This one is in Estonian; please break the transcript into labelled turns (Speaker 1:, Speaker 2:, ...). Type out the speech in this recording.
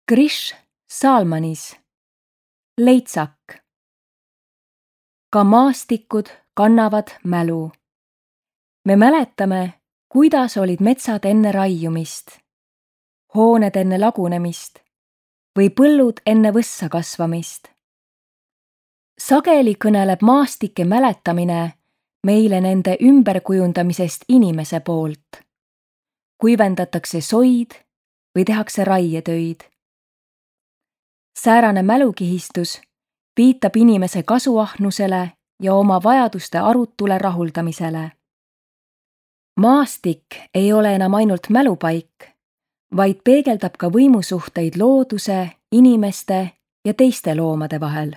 Speaker 1: Krish Salmanis. Leitsak. Ka maastikud kannavad mälu. Me mäletame, kuidas olid metsad enne raiumist, hooned enne lagunemist või põllud enne võssa kasvamist. Sageli kõneleb maastike mäletamine meile nende ümberkujundamisest inimese poolt. Kuivendatakse soid või tehakse raietöid. Säärane mälukihistus viitab inimese kasuahnusele ja oma vajaduste arutule rahuldamisele. Maastik ei ole enam ainult mälupaik, vaid peegeldab ka võimusuhteid looduse, inimeste ja teiste loomade vahel.